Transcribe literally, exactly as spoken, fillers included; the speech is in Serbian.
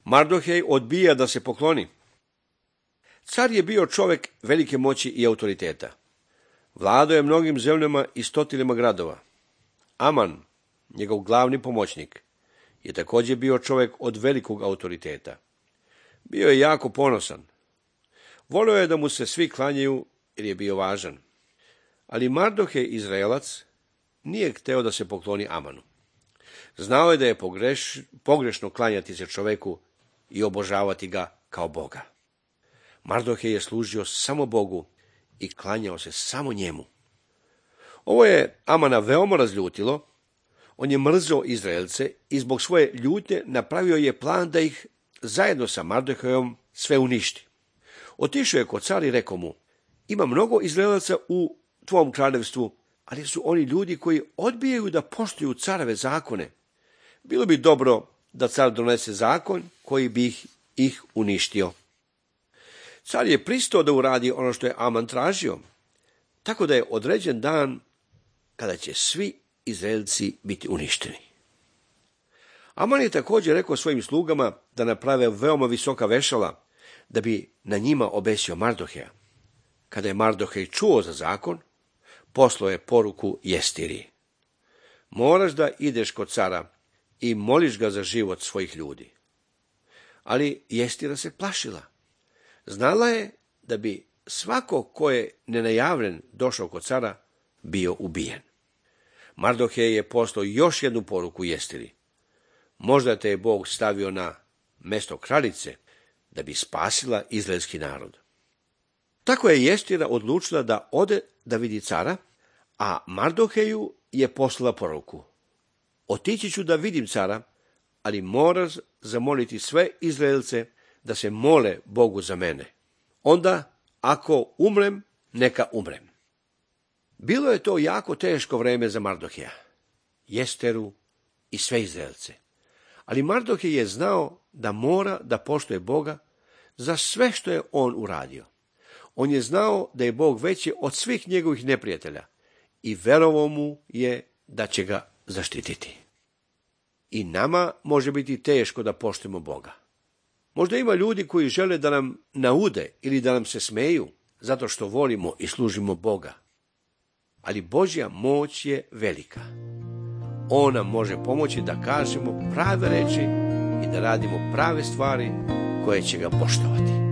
Mardohej odbija da se pokloni. Car je bio čovjek velike moći i autoriteta. Vladao je mnogim zemljama i stotinama gradova. Aman, njegov glavni pomoćnik, je također bio čovjek od velikog autoriteta. Bio je jako ponosan. Volio je da mu se svi klanjaju jer je bio važan. Ali Mardohej, Izraelac, nije hteo da se pokloni Amanu. Znao je da je pogreš, pogrešno klanjati se čoveku i obožavati ga kao Boga. Mardohej je služio samo Bogu i klanjao se samo njemu. Ovo je Amana veoma razljutilo. On je mrzio Izraelce i zbog svoje ljutnje napravio je plan da ih zajedno sa Mardohejom sve uništi. Otišao je kod cara i rekao mu: ima mnogo Izraelaca u tvom kraljevstvu, ali su oni ljudi koji odbijaju da poštuju careve zakone. Bilo bi dobro da car donese zakon koji bi ih, ih uništio. Car je pristao da uradi ono što je Aman tražio, tako da je određen dan kada će svi Izraelci biti uništeni. Aman je također rekao svojim slugama da naprave veoma visoka vešala, da bi na njima obesio Mardoheja. Kada je Mardohej čuo za zakon, poslao je poruku Jestiri: moraš da ideš kod cara i moliš ga za život svojih ljudi. Ali Jestira se plašila. Znala je da bi svako ko je nenajavljen došao kod cara bio ubijen. Mardohej je poslao još jednu poruku Jestiri: možda te je Bog stavio na mesto kraljice da bi spasila izraelski narod. Tako je Jestira odlučila da ode da vidi cara, a Mardoheju je poslala poruku: otići ću da vidim cara, ali moraš zamoliti sve Izraelce da se mole Bogu za mene. Onda, ako umrem, neka umrem. Bilo je to jako teško vreme za Mardoheja, Jesteru i sve Izraelce. Ali Mardohej je znao da mora da poštuje Boga za sve što je on uradio. On je znao da je Bog veći od svih njegovih neprijatelja i verovao mu je da će ga zaštititi. I nama može biti teško da poštujemo Boga. Možda ima ljudi koji žele da nam naude ili da nam se smeju zato što volimo i služimo Boga. Ali Božja moć je velika. On nam može pomoći da kažemo prave reči i da radimo prave stvari koje će ga poštovati.